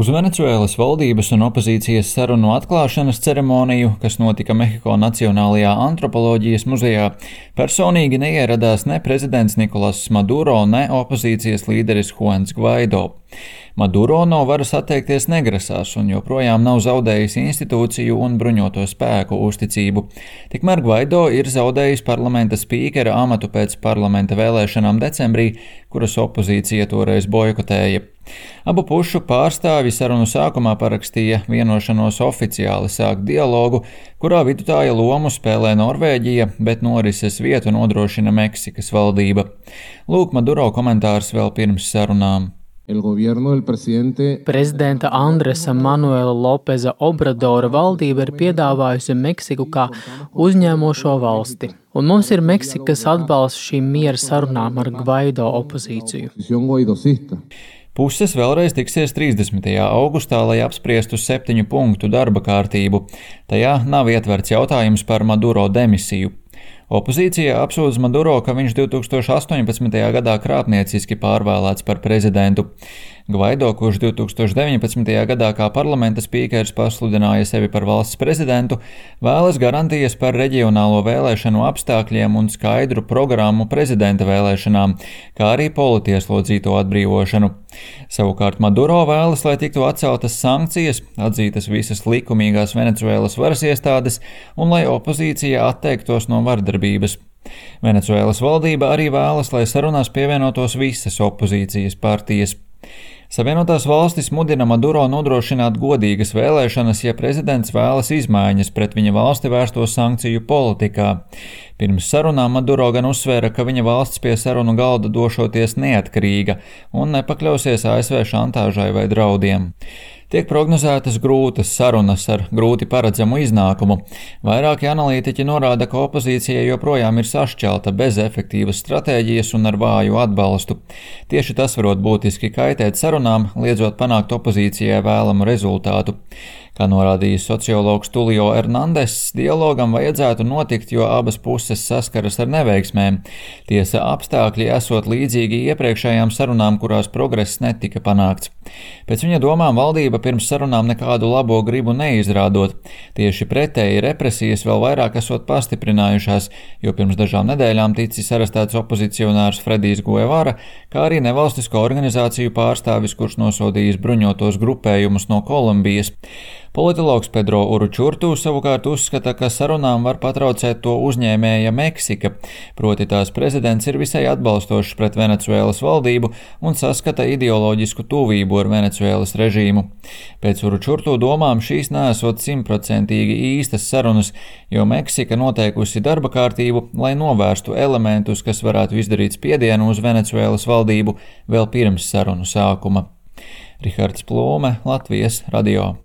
Uz Venecuēlas valdības un opozīcijas sarunu atklāšanas ceremoniju, kas notika Mehiko Nacionālajā antropoloģijas muzejā, personīgi neieradās ne prezidents Nikolas Maduro, ne opozīcijas līderis Juans Gvaido. Maduro no varas atteikties negrasās un joprojām nav zaudējis institūciju un bruņoto spēku uzticību. Tikmēr Gvaido ir zaudējis parlamenta spīkera amatu pēc parlamenta vēlēšanām decembrī, kuras opozīcija toreiz bojkotēja. Abu pušu pārstāvji sarunu sākumā parakstīja vienošanos oficiāli sākt dialogu, kurā vidutāja lomu spēlē Norvēģija, bet norises vietu nodrošina Meksikas valdība. Lūk, Maduro komentārs vēl pirms sarunām. Prezidenta Andresa Manuela Lopeza Obradora valdība ir piedāvājusi Meksiku kā uzņēmošo valsti, un mums ir Meksikas atbalsts šīm miera sarunām ar Gvaido opozīciju. Puses vēlreiz tiksies 30. augustā, lai apspriestu 7 punktu darba kārtību. Tajā nav ietverts jautājums par Maduro demisiju. Opozīcija apsūdz Maduro, ka viņš 2018. gadā krāpnieciski pārvēlēts par prezidentu. Gvaido, kurš 2019. gadā kā parlamenta spīkers pasludināja sevi par valsts prezidentu, vēlas garantijas par reģionālo vēlēšanu apstākļiem un skaidru programmu prezidenta vēlēšanām, kā arī politieslodzīto atbrīvošanu. Savukārt Maduro vēlas, lai tiktu atceltas sankcijas, atzītas visas likumīgās Venecuēlas varas iestādes un lai opozīcija atteiktos no vardarbības. Venecuēlas valdība arī vēlas, lai sarunās pievienotos visas opozīcijas partijas. Savienotās valstis mudina Maduro nodrošināt godīgas vēlēšanas, ja prezidents vēlas izmaiņas pret viņa valsti vērsto sankciju politikā. Pirms sarunām Maduro gan uzsvēra, ka viņa valsts pie sarunu galda došoties neatkarīga un nepakļausies ASV šantāžai vai draudiem. Tiek prognozētas grūtas sarunas ar grūti paredzamu iznākumu. Vairāki analītiķi norāda, ka opozīcija joprojām ir sašķelta bez efektīvas stratēģijas un ar vāju atbalstu. Tieši tas varot būtiski kaitēt sarunām, liedzot panākt opozīcijai vēlamu rezultātu. Kā norādījis sociologs Tulio Hernandez, dialogam vajadzētu notikt, jo abas puses saskaras ar neveiksmēm. Tiesa, apstākļi esot līdzīgi iepriekšējām sarunām, kurās progress netika panākts. Pēc viņa domām valdība pirms sarunām nekādu labo gribu neizrādot. Tieši pretēji represijas vēl vairāk esot pastiprinājušās, jo pirms dažām nedēļām ticis arestēts opozicionārs Fredijs Guevara, kā arī nevalstisko organizāciju pārstāvis, kurš nosodījis bruņotos grupējumus no Kolumbijas. Politologs Pedro Uručurtu savukārt uzskata, ka sarunām var patraucēt to uzņēmēja Meksika, proti tās prezidents ir visai atbalstošs pret Venecuēlas valdību un saskata ideoloģisku tuvību ar Venecuēlas režīmu. Pēc Uručurtu domām šīs neesot 100% īstas sarunas, jo Meksika noteikusi darba kārtību, lai novērstu elementus, kas varētu izdarīt spiedienu uz Venecuēlas valdību vēl pirms sarunu sākuma. Rihards Plūme, Latvijas radio.